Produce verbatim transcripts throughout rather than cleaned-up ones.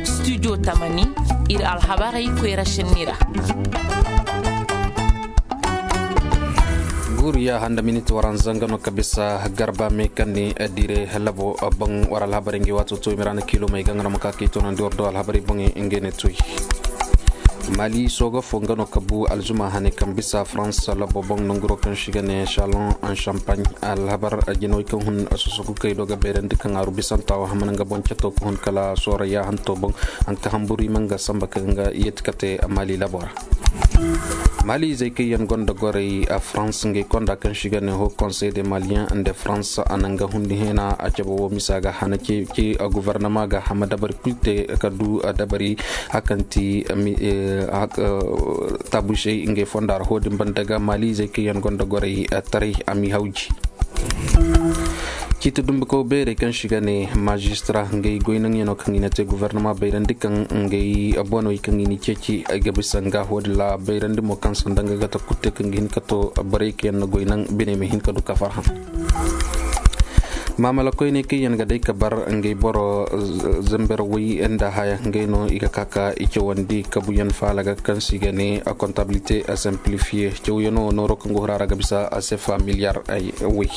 Studio tamani, ir alhabarey koyra šenni ra. Guuru ya handa miniti waranza nga no ka bisa garba me kaŋ ni dire labo boŋ war alhabarey ngi waato to i ma ra na kiilo may ga nga no ma ka kay toonandi war do alhabarey boŋey ngey ne toy. Mali sooga fo nga no ka bu alzuma hane kaŋ bisa farans labo boŋ nanguro kaŋ si ga ne shalon en champagne alhabar jinawey kaŋ hun sosogu kay do ga bayrandi kaŋ aru bisanta wo hamana nga boŋ cato ka hun kala soora yaahanto boŋ. Hanka hamburu i ma nga samba kaŋ ga yeeti kate mali labo ra. Mali izey kaŋ yaŋ gonda goray a farans ngey konda kaŋ si ga ne ho conseil de malien de farans a na nga hundi hena a cabe wo misa ga hana ce a guvernama ga hama dabari kul te ka du dabari hakanti tabusey ngey fonda ra hodin banda ga mali izey kaŋ yaŋ gonda goray taray a mi hawji. Ciiti dumbikaw beerey kaŋ si ga ne maazistara ngey goynaŋyano kaŋ i na te guvernama bayrandi kaŋ ngey boney kaŋ i na ceeci ay ga bisa nga hodin ra bayrandi mo kaŋ sanda nga ga ta kutte kaŋ ga hin ka to borey kaŋ yaŋ na goynaŋ biney ma hin ka du ka farhã. Maamala koyney kaŋ yaŋ ga day ka bar ngey boro zamber way nda haya ngey no i ga ka ka i cawandi kabuyaŋ faala ga kaŋ se i ga ne a comptabilité a simplifié cawyaŋo nooro kaŋ go hura ra ga bisa a se familiar. Way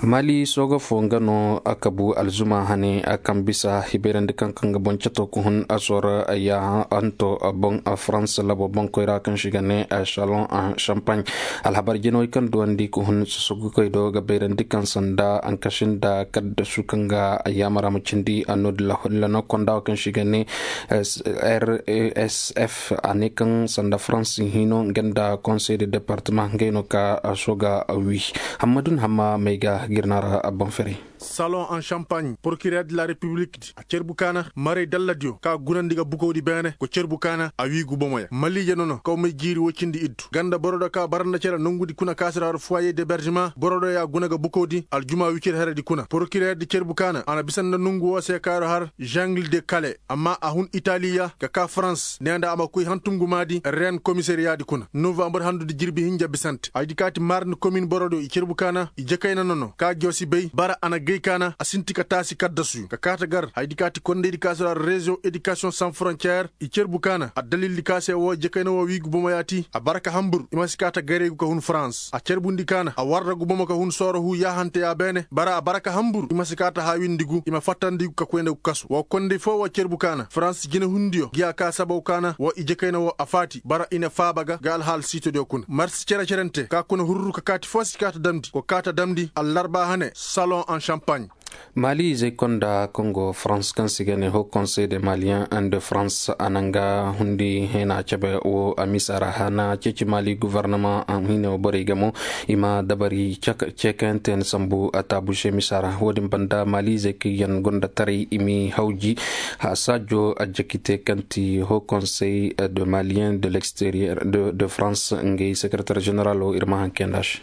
mali sooga fo nga no a kabu alzuma hane a kaŋ bisa hibayrandi kaŋ kaŋ ga boŋ cato ka hun a soora ya hanto boŋ a farans labo boŋ koyra kaŋ se i ga ne a shalon a champagne. Alhabar jinawey kaŋ duwandi ka hun sosogu koy do ga bayrandi kaŋ sanda ankasi nda kaddasu kaŋ ga yaamara ma cindi a no din ra hodin ra no konda wo kaŋ se i ga ne rsf a ne kaŋ sanda farans hino nga nda conseil de département ngey no ka sooga wi. Hammadun hamma may ga girna ra a boŋ ferey. Salon en champagne procureur de la république di a cerbu kaana maray dalladiyo ka gunandi ga bukawdi beene go cerbu kaana a wiigu bomoya maliije nono kaw may jiiri woy cindi iddu ganda boro do ka baranda cere nongudi kuna kaasira har foyer d'hébergement boro do ya guna ga bukawdi aljuma wicir heredi kuna procureur di cerbu kaana a na bisa nda nongu wo se kaaro har jungle de kale amma a hun italiya ga ka farans ne nda a ma koy hantum gumaadi ren komisariya di kuna novambar handudi jirbi hinja bisante haydi kaati marni komin boro do i cerbu kaana i jekayna nono ka josi bay bara a na gay kaana a sinti ka taasi kaddasuyo ka kaata gar haydi kaati kondaydi ka sira reziyoŋ édikasiyoŋ san frontiyeer i cerbu kaana addalildi ka se wo jekayna wo wiigu bomo yaati a bara ka hambur i ma si kaata garey gu ka hun farans a cerbundi kaana a warra gu bomo ka hun sooro huu yaahanteya beene bara a bara ka hambur i ma si kaata haawindi gu i ma fattandi gu ka koy nda gu kasu wo konday foo wo cerbu kaana farans jinehundiyo giya ka sabaw kaana wo i jekayna wo a faati bara i na faaba ga ga alhaal siitodiyo kuna marsi cere-cerente ka kuna hurru ka kaati foo si kaata damndi go kaata damndi allarba hane salon en champagne. Maali izey konda kongo farans kaŋ si ga ne ho konsey de maliyen de farans a na nga hundi hena cabe wo a misa ra hana ceeci maali gofornama a hine wo borey ga mo i ma dabari ceekayanteyaŋ sambu a taabuse misa ra wo- din banda maali izey kaŋ yaŋ gonda taray i m'i hawji. Saajo a jakite kaŋ ti ho konsey de maliyen de l'exterieur de farans ngey sekereter ženeralo ir ma hanke nda se.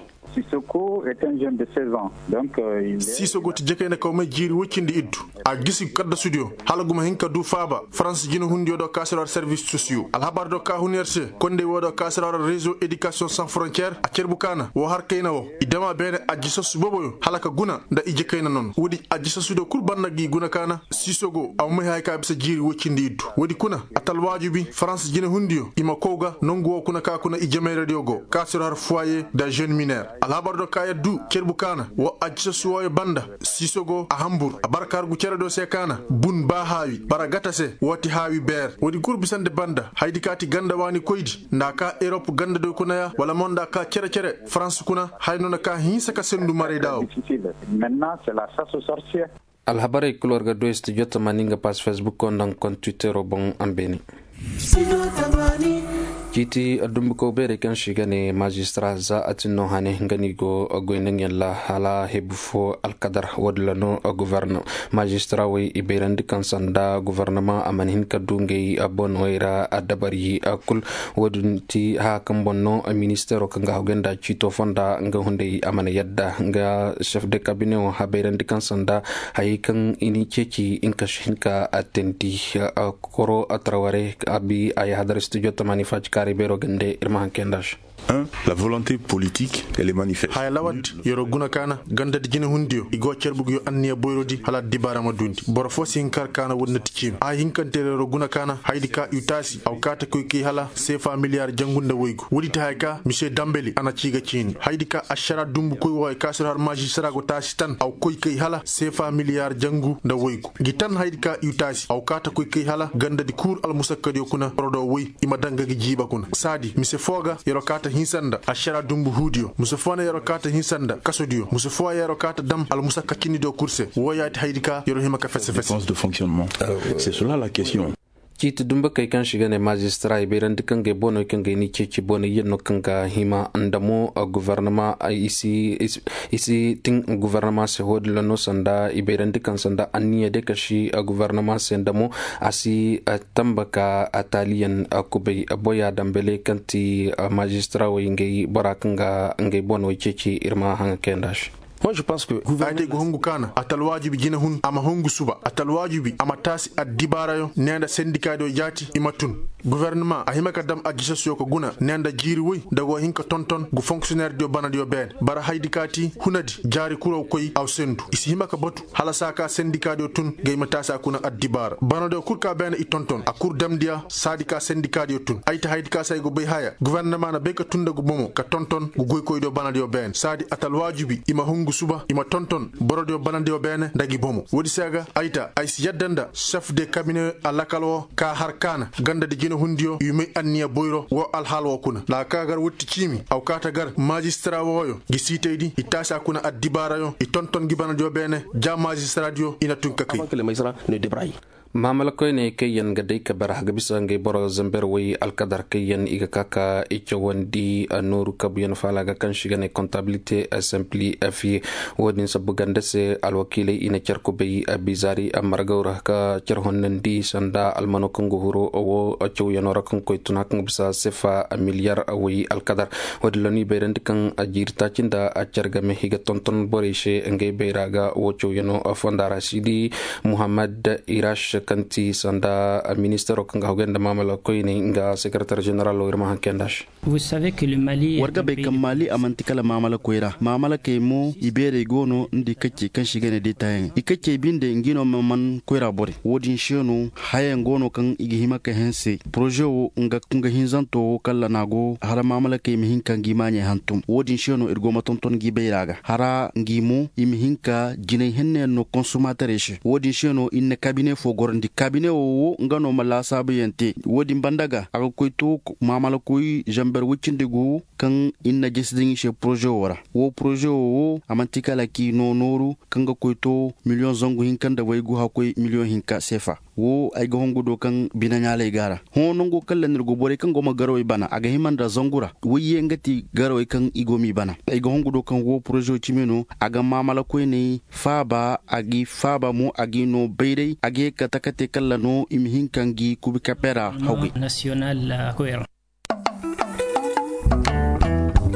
Sisoko ti jakayna kaw may jiiri woy cindi iddu a gisi kaddasudiyo hala guma hin ka du faaba farans jinehundiyo do kaasirora servis sosiyo alhabar do ka hun yer se kondey wo do kaasirora rezo edikasiyoŋ san frontiyeer a cerbu kaana wo har kayna wo i dama beene ajji sassu boboyo hala ka guna nda i jakayna nono woodi ajji sassudiyo kul banda gi guna kaana. Sisogo a ma may haya ka bisa jiiri woy cindi iddu woodi kuna a talwaajubi farans jinehundiyo i ma kow ga nongu wo kuna ka kuna i jamayradiyo go kaasiro har foyer da jeune miner. Alhabar do ka yaddu cerbu kaana wo ajji sassu wooyo banda sisogo a hambur a bara ka hargu cere do se kaana bun ba haawi bara gata se wo ti haawi beer woodi kul bisandi banda haydi ka ti ganda waani koydi nda a ka erop ganda do kuna ya wala mo nda a ka cere-cere farans kuna haya no na ka hinsa ka sendu maray da wo. Alhabarey kul war ga du studio tamani nga pas facebook o nda nga kont twittero boŋ a ma beene. Ciiti dumbuko beerey kaŋ se i ga ne maazistara za a tin no hane nga no i go goy nda nga yaŋ ra hala hebu fo alkadar wo- din ra no gofornama maazistara wey i bayrandi kaŋ sanda gofornama a mana hin ka du ngey boney ra dabari kul. Wo- din ti haya kaŋ boŋ no ministeero kaŋ ga hagu nda ciito fonda nga hunday a mana yadda nga sef de kabine wo habayrandi kaŋ sanda hayey kaŋ i ni ceeci nga si hin ka teendi koro traware abi a yahadar studio tamani faacikaarey beero gande ir ma haŋ kay nda se. La volonté politique, elle est manifeste. Haya lawandi, yer'o guna kaana gandadi jinehundiyo i go carbuguyo anniya boyrodi hala addibaara ma duundi. Boro foo si hin ka har kaana woodi na ti ciimi. Haya hinkante ra yer'o guna kaana hayadi ka i taasi aw kaa ta koy kay hala seefa miliyaar jangu nda woygu. Woodi ti haya ka misiye dambeli a na cii ga ciini hayadi ka ašaraa dumbukoy wooyo ka sir har maazistara go taasi tan aw koy kay hala seefa miliyaar jangu nda woygu. Ngi tan hayadi ka i taasi aw kaa ta koy kay hala gandadi kul almusakkadiyo kuna boro do woy i ma daŋ ga gi jiiba kuna saadi mise foo ga yer'o kaa ta hinsa nda ašaraa dumbu huudiyo mise foo na yer'o kaa ta hinsa nda kasodiyo mise foo ya yer'o kaa ta dam almusakka cinnidiyo kul se woo yaati hayadi ka yer'o hima ka fese fese. Ciiti dumbakey kaŋ se i ga ne maazistara i bayrandi kaŋ ga ay bonoy kaŋ ga ay n'i ceeci boney yaŋ no kaŋ ga hima nda mo. Guvarnama i si tin guvarnama se wo-din ra no sanda i bayrandi kaŋ sanda anniya day ka si guvarnama se nda mo a si tamba ka taaliyaŋ kubay. Boya dambale kaŋ ti maazistara wey ngey bora kaŋ ga ngey bonoy ceeci ir ma haŋa kayanda se. Ay te ga hungu kaana a ta alwaajibi jinehun a ma hungu suba a ta alwaajibi a ma taasi addibaarayaŋ ne nda sendikaadiyo jaati i ma tun. Guvernama a hima ka dam a gisasuyo ka guna ne nda jiiri woy nda go hin ka tonton gu fonksiyoneerdiyo banadiyo beene bara hayadi ka ti hunadi jaari kuraw koy aw sendu i si hima ka batu hala saa ka sendikaadiyo tun ga i ma taasi a kuna addibaara banadiyo kul ka beene i tonton a kul damndi a saadi ka sendikaadiyo tun ay ta hayadi ka se ay go bay haya guvernama na bay ka tun nda ngu bomo ka tonton ngu goykoydiyo banadiyo beene saadi a ta alwaajibi i ma hungu suba i ma tonton borodiyo banadiyo beene nda ngi bomo woodi se ga ay ta ay si yadda nda sef de kabine alakal woo ka har kaana gandadi jinehundiyo i may anniya boyro woo alhaal woo kuna laaka gar woodi ti ciimi aw kaa ta gar maazistara wooyo ngi siitaydi i taasi a kuna addibaarayo i tonton ngi banadiyo beene ja maazistaraadiyo i na tun ka kay. Maamala koyney kaŋ yaŋ ga day ka bara ga bisa ngey boro zamber way alkadar kaŋ yaŋ i ga ka ka i cawandi nooru kabuyaŋ faala ga kaŋ se i ga ne kontabilite simplifiye. Wo-din sabbu ganda se alwakiiley i na car kubay bizaari margaw ra ka car honnandi sanda almano kaŋ ga huru wo cawyaŋo ra kaŋ koy tuna kaŋ ga bisa sefa miliyar way alkadar. Wo-din ra no i bayrandi kaŋ jiiri taaci nda car game i ga tonton borey se ngey bayra ga wo cawyaŋo fonda ra si di muhammad irash kaŋ ti sanda ministaro kaŋ ga hagay nda maamala koyney nga sekaratar ženeralo ir ma haŋ kayanda se. War ga bay kaŋ maali a manti kala maamala koyra maamalakey mo i beerey go no nda i kaccey kaŋ se i ga ne day taayaŋey i kaccey binde ngi no ma man koyra borey wo-din se no hayaŋ go no kaŋ i ga hima ka hense poroze wo nga kunga hinzanto wo kaŋ lanaa go hala maamalakey ma hin ka ngi maaɲey hantum wo-din se no ir go ma tonton ngi bayra ga hara ngi mo i ma hin ka jinay henneyaŋ no konsomaterey se wo-din se no ir na kabine fo gorandi kabine wo wo nga no ma laasaabuyaŋ te wo-din banda ga a ga koy to maamalakoy zamber woy cindi gu kaŋ ir na jesi daŋ i se poroze wo ra wo poroze wo wo a manti kala k'i noo nooru kaŋ ga koy to miliyoŋ zangu hinka nda waygu hakkoy miliyoŋ hinka seefa wo ay ga hongu do kaŋ binaɲaaley go a ra hõ nango kaŋ lanir go borey kaŋ go ma garawey bana a ga hima nda zangu ra wayye nga ti garawey kaŋ i go m'i bana ay ga hongu do kaŋ wo poroze wo cimi no a ga maamala koyney faaba a g'i faaba mo a g'i noo bayray a ga ye ka taka te kalla no i ma hin ka ngi kubi kape ra hawgay.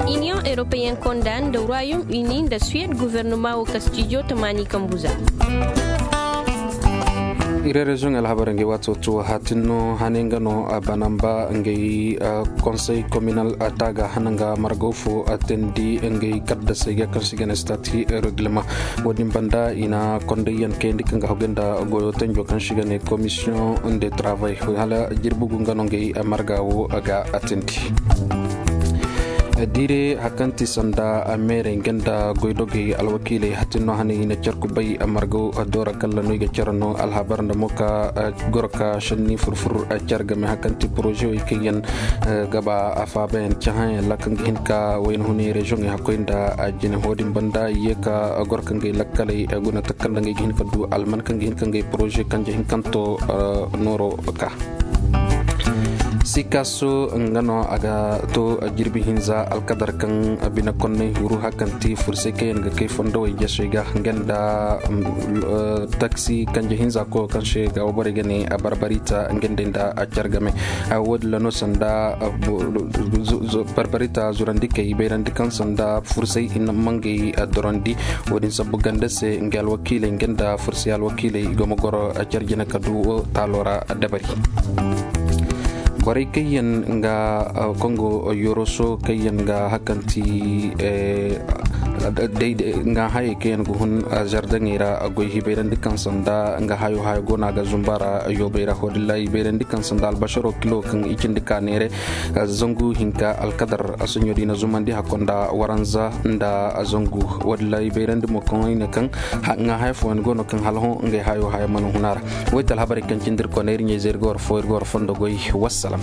Iniyoŋ europeyen konda nda royaume uni nda suwed guvernoma wo kastijo tamaani kambu za. Ire reziyoŋ alhabar ngey waato to hatin no hane nga no a banamba ngey konsey kominal taaga hana nga margaw fo teendi ngey kaddasey ga kaŋ se i ga ne stati reglement. Wo-din banda i na kondayyaŋ kayandi kaŋ ga hagay nda goyo tanjo kaŋ se i ga ne komisiyoŋ de travay hala jirbi gu nga no ngey marga wo ga a teendi. Diire hari kaŋ ti sanda meerey nga nda goydogey alwakiiley hatin no hane i na care kubay margaw doora kalla no i ga care no alhabar nda mo ka goro ka senni furfur care game hari kaŋ ti porozewey kaŋ yaŋ ga ba a faabayaŋ cahãyaŋ ra kaŋ ga hin ka wayna hunay reziyoŋey hakkoy nda jine ho din banda i ye ka goro ka ngey lakkaley guna takanda ngey ga hin ka du alman kaŋ ga hin ka ngey poroze kanje hinkanto nooro ka. Sikaso nga no a ga to jirbi hinza alkadar kaŋ bine konney huru hari kaŋ ti fursey kaŋ yaŋ ga kay fondowey jasey ga nga nda taksi kanje hinza koyo kaŋ se ga wa borey ga ne barbarita nga nda nda care game. Wo-din ra no sanda barbarita zurandi kay bayrandi kaŋ sanda fursey i na mangey dorandi. Wo-din sabbu ganda se nga alwakiiley nga nda fursey alwakiiley i go ma goro care jine ka du taalo ra dabari. Borey kaŋ yaŋ ga kongo yoroso kaŋ yaŋ ga hakanti nga hayey kaŋ yaŋ ga hun zardaŋey ra goy hibayrandi kaŋ sanda nga hayo hayo go no a ga zumba ra. Yoobey ra hodilla hibayrandi kaŋ sanda albasaro kilo kaŋ i cindi ka neere zangu hinka alkadar a soɲo di na zumandi hakko nda waranza nda zangu. Wadilla hibayrandi mo kaŋ i ne kaŋ nga haya fooyaŋ go no kaŋ hala hõ ngey hayo haya mana hun a ra. Waytal habarey kaŋ cindi ir kone ir ɲayze ir ga war fo ir ga war fondo goy. Wassalam.